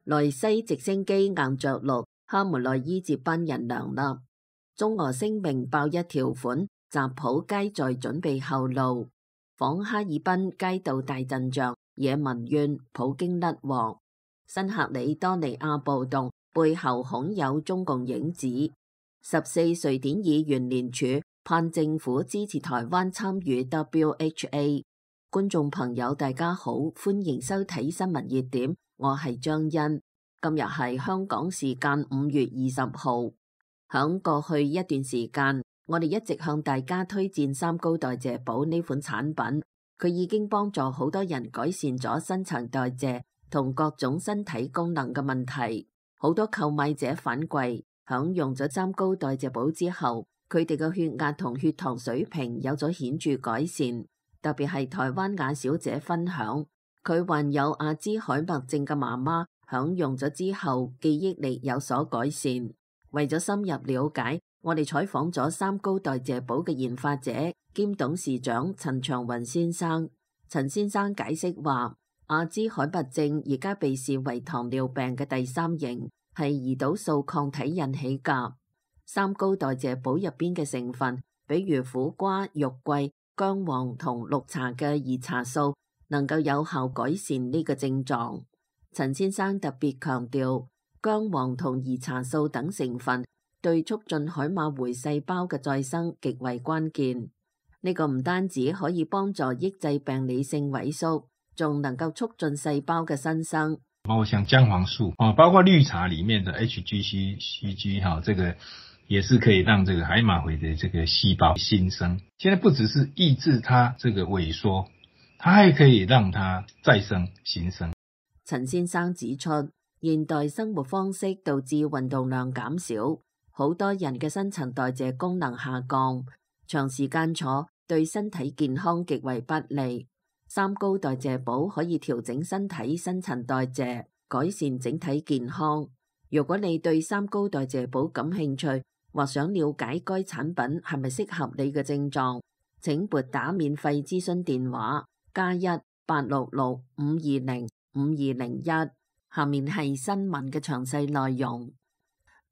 萊西直升機硬着陸，哈梅內伊接班人梁立。中俄聲明爆一條款，習普皆在準備後路。訪哈爾濱街道大陣仗，惹民怨，普京甩鑊。新喀里多尼亞暴動背後恐有中共影子。14瑞典議員聯署盼政府支持台灣參與 WHA。觀眾朋友大家好，歡迎收睇新聞熱點，我係張欣。今日係香港時間5月20號。響過去一段時間，我哋一直向大家推薦三高代謝寶呢款產品，佢已經幫助好多人改善咗新陳代謝同各種身體功能嘅問題。好多購買者反饋，響用咗三高代謝寶之後，佢哋嘅血壓同血糖水平有咗顯著改善。特別係台灣雅小姐分享，佢患有阿茲海默症嘅媽媽響用咗之後，記憶力有所改善。為咗深入了解，我哋採訪咗三高代謝寶嘅研發者兼董事長陳長雲先生。陳先生解釋話，阿茲海默症而家被視為糖尿病嘅第三型，係胰島素抗體引起㗎。三高代謝寶入邊嘅成分，比如苦瓜、肉桂、薑黃同綠茶嘅兒茶素，能夠有效改善呢個症狀。陳先生特別強調，薑黃同兒茶素等成分對促進海馬回細胞嘅再生極為關鍵。呢個唔單止可以幫助抑制病理性萎縮，仲能夠促進細胞嘅新生。包括像薑黃素包括綠茶裡面的 HGCG 這個也是可以讓這個海馬回的這個細胞新生。現在不只是抑制它這個萎縮，它還可以讓它再生新生。陳先生指出，現代生活方式導致運動量減少，好多人嘅新陳代謝功能下降，長時間坐對身體健康極為不利。三高代謝寶可以調整身體新陳代謝，改善整體健康。如果你對三高代謝寶感興趣，或想了解該產品係咪適合你嘅症狀，請撥打免費諮詢電話+1-866-520-5201。下面係新聞嘅詳細內容。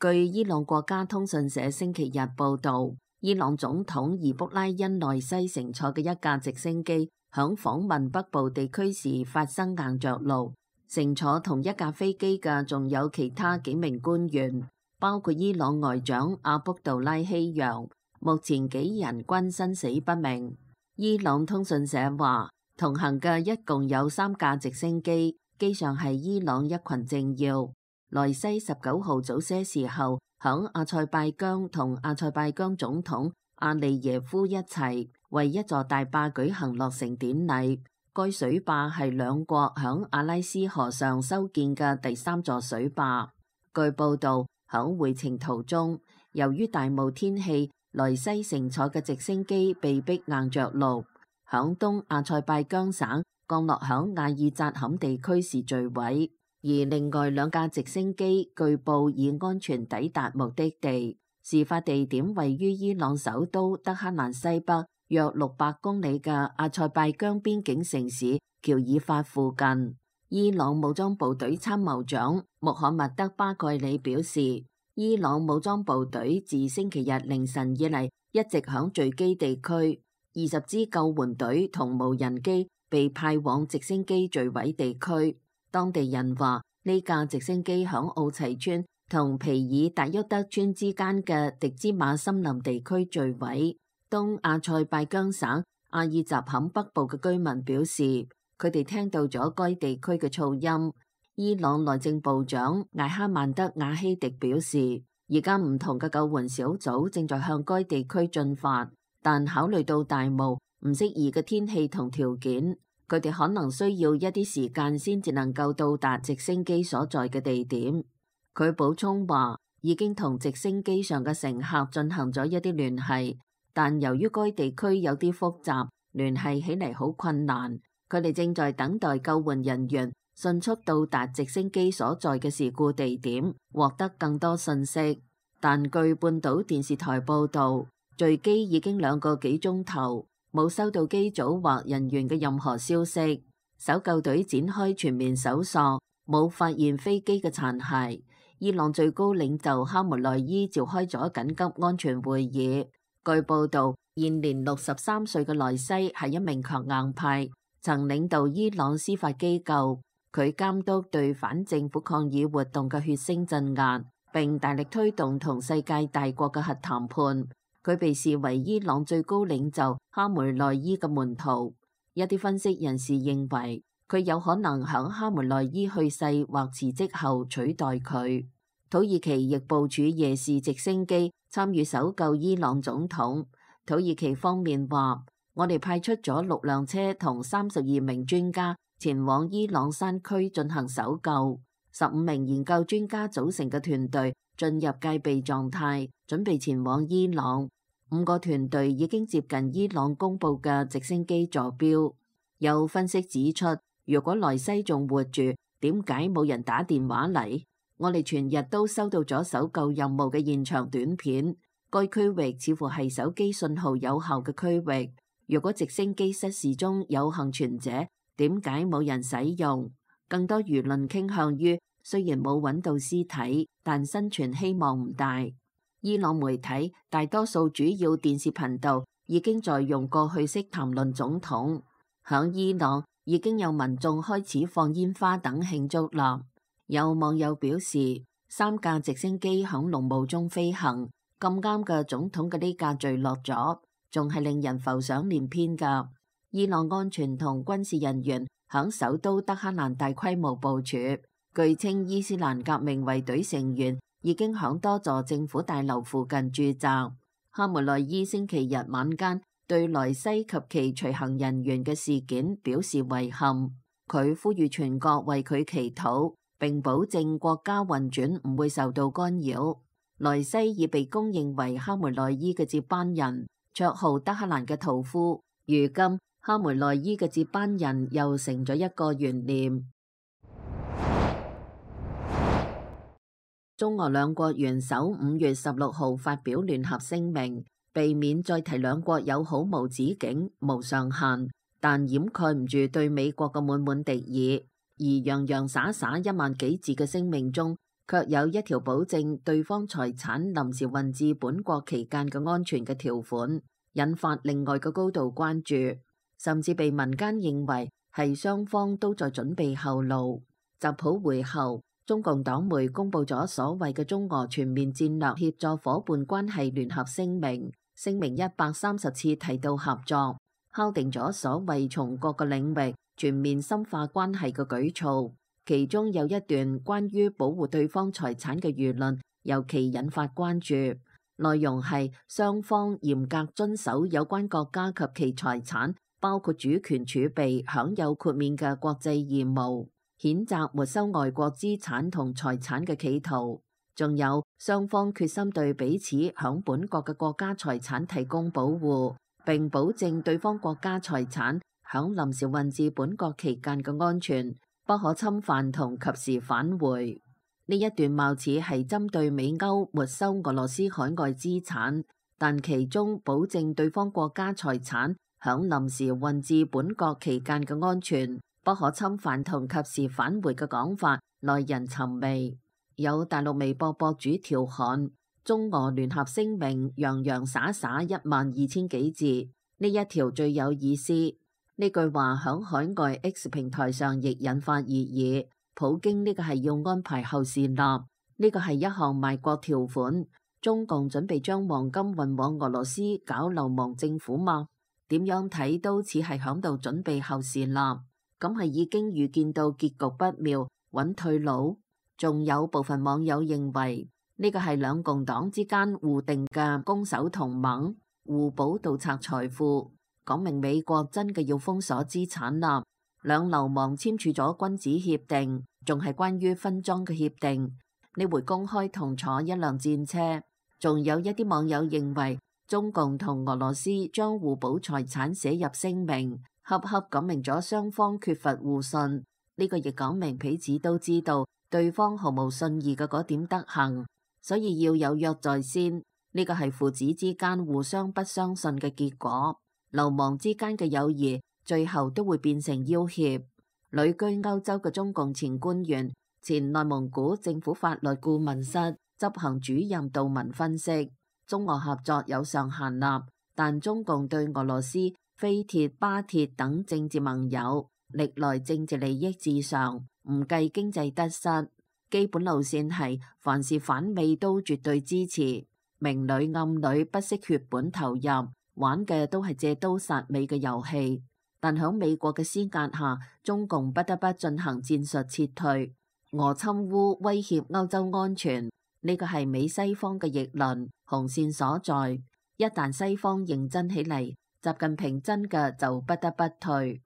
據伊朗國家通訊社星期日報道，伊朗總統伊卜拉欣萊西乘坐嘅一架直升機響訪問北部地區時發生硬着陸，乘坐同一架飛機嘅仲有其他幾名官員，包括伊朗外長阿卜杜拉希揚。目前幾人均生死不明。伊朗通訊社話，同行嘅一共有3架直升機，機上係伊朗一群政要。萊西19號早些時候響阿塞拜疆同阿塞拜疆總統阿利耶夫一齊為一座大壩舉行落成典禮。該水壩係兩國響阿拉斯河上修建嘅第3座水壩。據報道，響回程途中，由於大霧天氣，萊西乘坐嘅直升機被迫硬着陸，響東阿塞拜疆省降落響阿爾扎坎地區時墜毀。而另外2架直升機據報已安全抵達目的地。事發地點位於伊朗首都德黑蘭西北約600公里嘅阿塞拜疆邊境城市喬爾法附近。伊朗武裝部隊參謀長穆罕默德巴蓋里表示，伊朗武裝部隊自星期日凌晨以嚟一直響墜機地區，20支救援隊同無人機被派往直升機墜毀地區。當地人話，呢架直升機響奧齊村同皮爾達沃德村之間嘅迪茲馬森林地區墜毀。東阿塞拜疆省阿爾扎坎北部嘅居民表示，佢哋聽到咗該地區嘅噪音。伊朗內政部長艾哈曼德瓦希迪表示，而家唔同嘅救援小組正在向該地區進發，但考慮到大霧、唔適宜嘅天氣同條件，佢哋可能需要一啲時間先至能夠到達直升機所在嘅地點。佢補充話，已經同直升機上嘅乘客進行咗一啲聯繫，但由於該地區有啲複雜，聯繫起嚟好困難。佢哋正在等待救援人員迅速到達直升機所在嘅事故地點，獲得更多信息。但據半島電視台報導，墜機已經2個幾鐘頭，冇收到機組或人員嘅任何消息。搜救隊展開全面搜索，冇發現飛機嘅殘骸。伊朗最高領袖哈梅內伊召開咗緊急安全會議。據報道，現年63歲嘅萊西係一名強硬派，曾領導伊朗司法機構。佢監督對反政府抗議活動嘅血腥鎮壓，並大力推動同世界大國嘅核談判。佢被視為伊朗最高領袖哈梅內伊嘅門徒。一啲分析人士認為，佢有可能響哈梅內伊去世或辭職後取代佢。土耳其亦部署夜視直升機參與搜救伊朗總統。土耳其方面話：我哋派出咗6輛車同32名專家前往伊朗山區進行搜救。15名研究專家組成嘅團隊進入戒備狀態，準備前往伊朗。5個團隊已經接近伊朗公佈嘅直升機坐標。有分析指出，如果萊西仲活住，點解冇人打電話嚟？我哋全日都收到咗搜救任務嘅現場短片，該區域似乎係手機信號有效嘅區域。如果直升機失事中有幸存者，點解冇人使用？更多輿論傾向於，雖然冇揾到屍體，但生存希望唔大。伊朗媒體大多數主要電視頻道已經在用過去式談論總統。響伊朗已經有民眾開始放煙花等慶祝啦。有網友表示，3架直升機響濃霧中飛行，咁啱嘅總統嘅呢架墜落咗，仲係令人浮想聯翩噶。伊朗安全同軍事人員響首都德黑蘭大規模部署，據稱伊斯蘭革命衛隊成員已經響多座政府大樓附近駐紮。哈梅內伊星期日晚間對萊西及其隨行人員嘅事件表示遺憾，佢呼籲全國為佢祈禱，並保證國家運轉唔會受到干擾。萊西已被公認為哈梅內伊嘅接班人，綽號德黑蘭嘅屠夫。如今哈梅內伊嘅接班人又成咗一個懸念。中俄兩國元首5月16號發表聯合聲明，避免再提兩國友好無止境、無上限，但掩蓋唔住對美國嘅滿滿敵意。而洋洋灑灑1萬幾字嘅聲明中，卻有一條保證對方財產臨時運至本國期間嘅安全嘅條款，引發另外嘅高度關注，甚至被民間認為係雙方都在準備後路。習普會後，中共黨媒公佈咗所謂嘅中俄全面戰略協作夥伴關係聯合聲明，聲明130次提到合作，敲定咗所謂從各個領域全面深化關係嘅舉措。其中有一段關於保護對方財產嘅輿論尤其引發關注，內容係雙方嚴格遵守有關國家及其財產，包括主權儲備享有豁免嘅國際義務，譴責沒收外國資產同財產嘅企圖，仲有雙方決心對彼此響本國嘅國家財產提供保護，並保證對方國家財產響臨時運至本國期間嘅安全不可侵犯同及時返回。呢一段貌似係針對美歐沒收俄羅斯海外資產，但其中保證對方國家財產響臨時運至本國期間嘅安全不可侵犯同及時返回嘅講法耐人尋味。有大陸微博博主調侃，中俄聯合聲明洋洋灑灑12000幾字，呢一條最有意思。呢句話響海外 X 平台上亦引發熱議。普京呢個係要安排後事立，呢個係一項賣國條款。中共準備將黃金運往俄羅斯搞流亡政府嗎？點樣睇都似係響度準備後事立，咁係已經預見到結局不妙，揾退路。仲有部分網友認為呢個係兩共黨之間互定嘅攻守同盟，互補盜賊財富，講明美國真嘅要封鎖資產啦。兩流氓簽署咗君子協定，仲係關於分贓嘅協定。呢回公開同坐一輛戰車。仲有一啲網友認為中共同俄羅斯將互補財產寫入聲明，恰恰講明咗雙方缺乏互信。呢個亦講明彼此都知道對方毫無信義嘅嗰點德行，所以要有約在先。呢個係父子之間互相不相信嘅結果。流氓之間嘅友誼最後都會變成要挾。旅居歐洲嘅中共前官員前內蒙古政府法律顧問室執行主任杜文分析，中俄合作有上限立，但中共對俄羅斯、菲鐵、巴鐵等政治盟友歷來政治利益至上，唔計經濟得失。基本路線係凡是反美都絕對支持，明裏暗裏不惜血本投入，玩嘅都係借刀殺美嘅遊戲。但響美國嘅施壓下，中共不得不進行戰術撤退。俄侵烏威脅歐洲安全，呢個係美西方嘅逆鱗紅線所在。一旦西方認真起嚟，習近平真嘅就不得不退。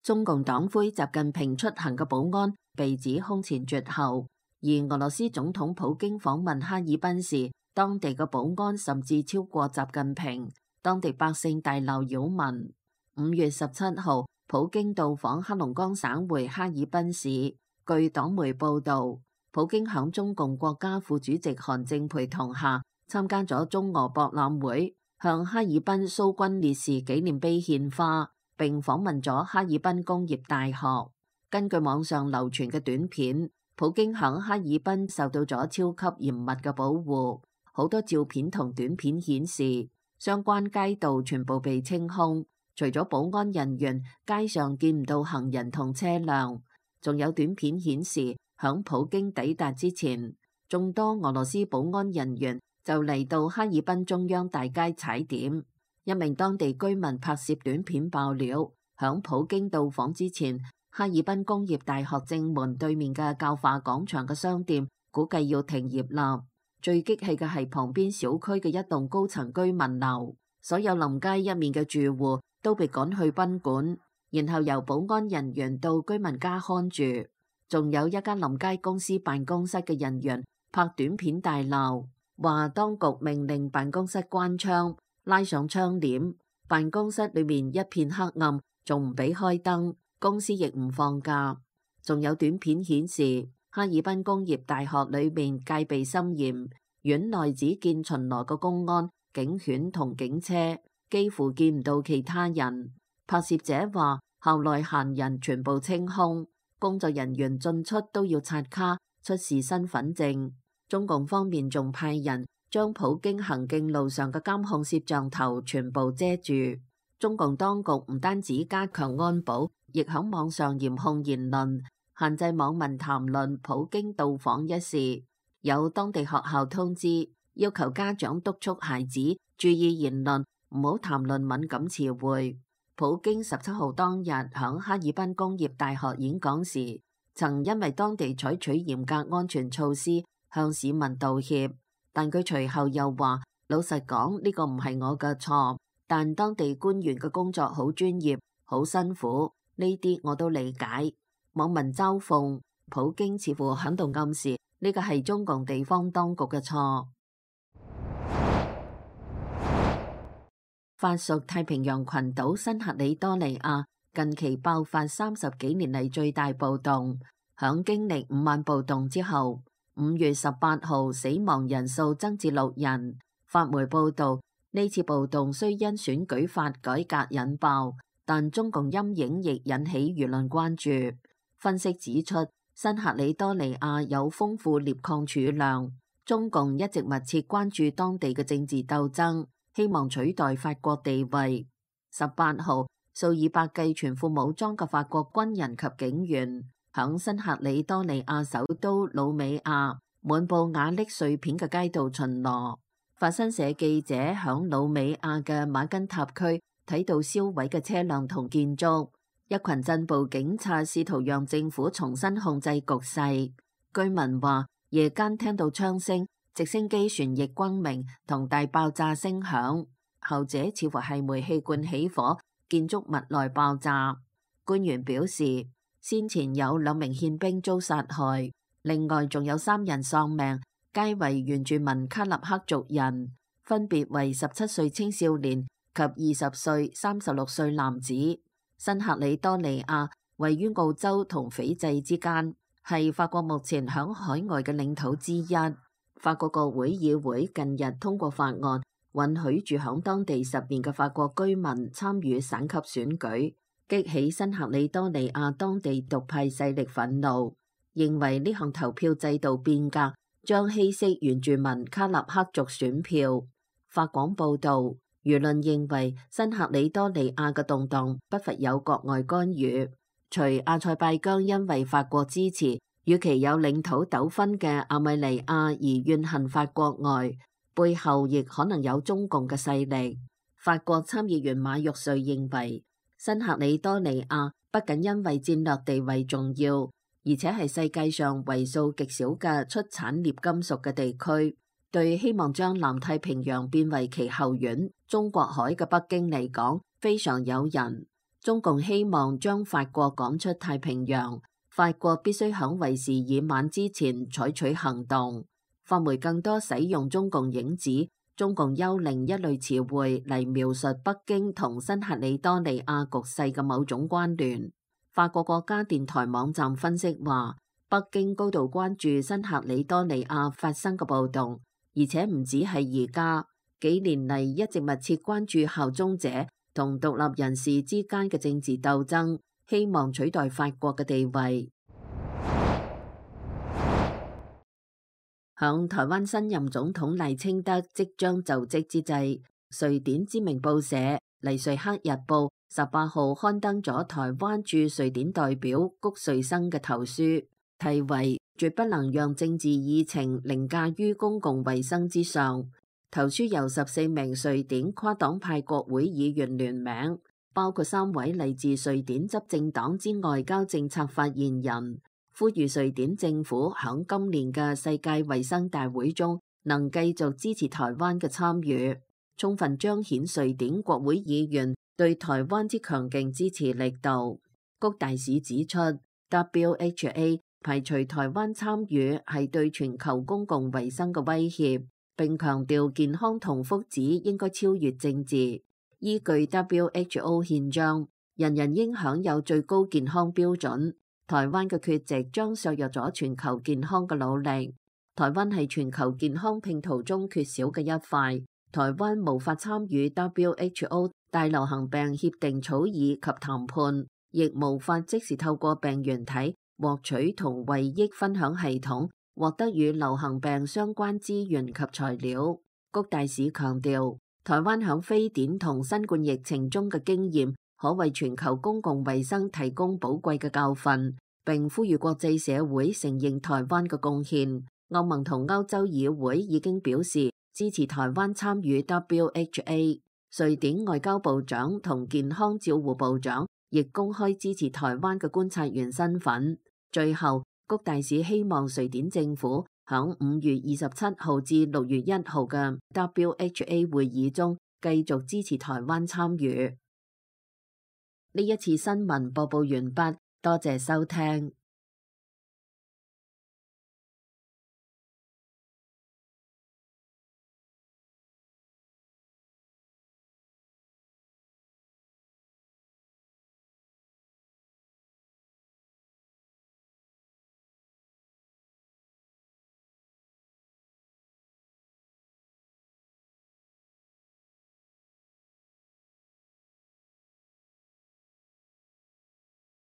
中共黨魁習近平出行嘅保安被指空前絕後，而俄羅斯總統普京訪問哈爾濱時，當地嘅保安甚至超過習近平，當地百姓大鬧擾民。5月17號，普京到訪黑龍江省會哈爾濱市。據黨媒報道，普京響中共國家副主席韓正陪同下參加咗中俄博覽會，向哈爾濱蘇軍烈士紀念碑獻花，並訪問咗哈爾濱工業大學。根據網上流傳嘅短片，普京響哈爾濱受到咗超級嚴密嘅保護，好多照片同短片顯示，相關街道全部被清空，除咗保安人員，街上見唔到行人同車輛。仲有短片顯示，響普京抵達之前，眾多俄羅斯保安人員就嚟到哈爾濱中央大街踩點。一名當地居民拍攝短片爆料，響普京到訪之前，哈爾濱工業大學正門對面嘅教化廣場嘅商店估計要停業啦。最激氣嘅係旁邊小區嘅一棟高層居民樓，所有臨街一面嘅住戶都被趕去賓館，然後由保安人員到居民家看住。仲有一間臨街公司辦公室嘅人員拍短片大鬧，話當局命令辦公室關窗，拉上窗簾，辦公室裏面一片黑暗，仲唔俾開燈，公司亦唔放假。仲有短片顯示，哈爾濱工業大學裏面戒備森嚴，院內只見巡邏嘅公安、警犬同警車，幾乎見唔到其他人。拍攝者話，校內閒人全部清空，工作人員進出都要刷卡出示身份證。中共方面仲派人將普京行徑路上嘅監控攝像頭全部遮住。中共當局唔單止加強安保，亦響網上嚴控言論，限制網民談論普京到訪一事。有當地學校通知，要求家長督促孩子注意言論，唔好談論敏感詞彙。普京17號當日響哈爾濱工業大學演講時，曾因為當地採取嚴格安全措施向市民道歉，但佢隨後又話：老實講，呢個唔係我嘅錯，但當地官員嘅工作好專業，好辛苦，呢啲我都理解。網民嘲諷普京似乎響度暗示呢個係中共地方當局嘅錯。法屬太平洋群島新喀里多尼亞近期爆發30幾年嚟最大暴動，響經歷5晚暴動之後，5月18號死亡人數增至6人。法媒報道，呢次暴動雖因選舉法改革引爆，但中共陰影亦引起輿論關注。分析指出，新喀里多尼亞有豐富鎳礦儲量，中共一直密切關注當地嘅政治鬥爭，希望取代法國地位。18號，數以百計全副武裝嘅法國軍人及警員響新喀里多尼亞首都魯美亞滿布瓦礫碎片嘅街道巡邏。法新社記者響魯美亞嘅馬根塔區睇到燒毀嘅車輛同建築，一群鎮暴警察試圖讓政府重新控制局勢。居民話，夜間聽到槍聲、直升機旋翼轟鳴同大爆炸聲響，後者似乎係煤氣罐起火，建築物內爆炸。官員表示，先前有2名憲兵遭殺害，另外仲有3人喪命，皆為原住民卡納克族人，分別為17歲青少年及20歲、36歲男子。新喀里多尼亞位於澳洲同斐濟之間，係法國目前響海外嘅領土之一。法國國會議會近日通過法案，允許住響當地10年嘅法國居民參與省級選舉，激起新喀里多尼亞當地獨派勢力憤怒，認為呢項投票制度變革將稀釋原住民卡納克族選票。法廣報導，輿論認為新喀里多尼亞嘅動盪不乏有國外干預。除阿塞拜疆因為法國支持與其有領土糾紛嘅阿米尼亞而怨恨法國外，背後亦可能有中共嘅勢力。法國參議員馬玉瑞認為，新喀里多尼亞不僅因為戰略地位重要，而且係世界上為數極少嘅出產鎳金屬嘅地區，對希望將南太平洋變為其後院中國海嘅北京嚟講非常誘人。中共希望將法國趕出太平洋，法國必須響為時已晚之前採取行動。法媒更多使用中共影子、中共幽靈一類詞彙嚟描述北京同新喀里多尼亞局勢嘅某種關聯。法國國家電台網站分析話，北京高度關注新喀里多尼亞發生嘅暴動，而且唔止係而家，幾年嚟一直密切關注效忠者同獨立人士之間嘅政治鬥爭，希望取代法國嘅地位。響台灣新任總統賴清德即將就職之際，瑞典知名報社《黎瑞克日報》18號刊登咗台灣駐瑞典代表谷瑞生嘅投書，題為《絕不能讓政治議程凌駕於公共衛生之上》。投書由14名瑞典跨黨派國會議員聯名，包括3位嚟自瑞典執政黨之外交政策發言人，呼籲瑞典政府響今年嘅世界衛生大會中能繼續支持台灣嘅參與，充分彰顯瑞典國會議員對台灣之強勁支持力度。谷大使指出， WHO 排除台灣參與係對全球公共衛生嘅威脅，並強調健康同福祉應該超越政治。依據 WHO 憲章，人人應享有最高健康標準。台灣嘅缺席將削弱咗全球健康嘅努力。台灣係全球健康拼圖中缺少嘅一塊。台灣無法參與 WHO 大流行病協定草擬及談判，亦無法即時透過病原體獲取同惠益分享系統獲得與流行病相關資源及材料。谷大使強調，台灣響非典同新冠疫情中嘅經驗可為全球公共衛生提供寶貴嘅教訓，並呼籲國際社會承認台灣嘅貢獻。歐盟同歐洲議會已經表示支持台灣參與 WHO。瑞典外交部長同健康照護部長亦公開支持台灣嘅觀察員身份。最後，谷大使希望瑞典政府響5月27號至6月1號嘅 WHA 會議中繼續支持台灣參與。呢一次新聞播報完畢，多謝收聽。